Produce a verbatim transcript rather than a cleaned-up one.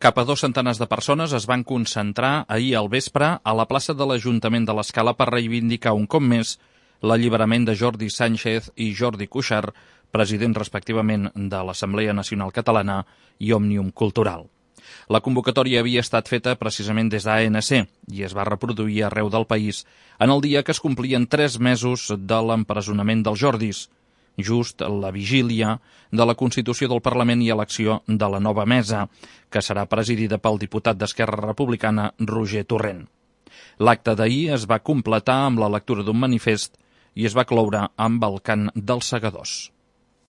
Cap a dos centenars de persones es van concentrar ahir al vespre a la plaça de l'Ajuntament de l'Escala per reivindicar un cop més l'alliberament de Jordi Sànchez i Jordi Cuixart, presidents respectivament de l'Assemblea Nacional Catalana i Òmnium Cultural. La convocatòria havia estat feta precisament des d'A N C i es va reproduir arreu del país en el dia que es complien tres mesos de l'empresonament dels Jordis, just la vigília de la Constitució del Parlament i elecció de la nova mesa, que serà presidida pel diputat d'Esquerra Republicana Roger Torrent. L'acte d'ahir es va completar amb la lectura d'un manifest i es va cloure amb el cant dels segadors.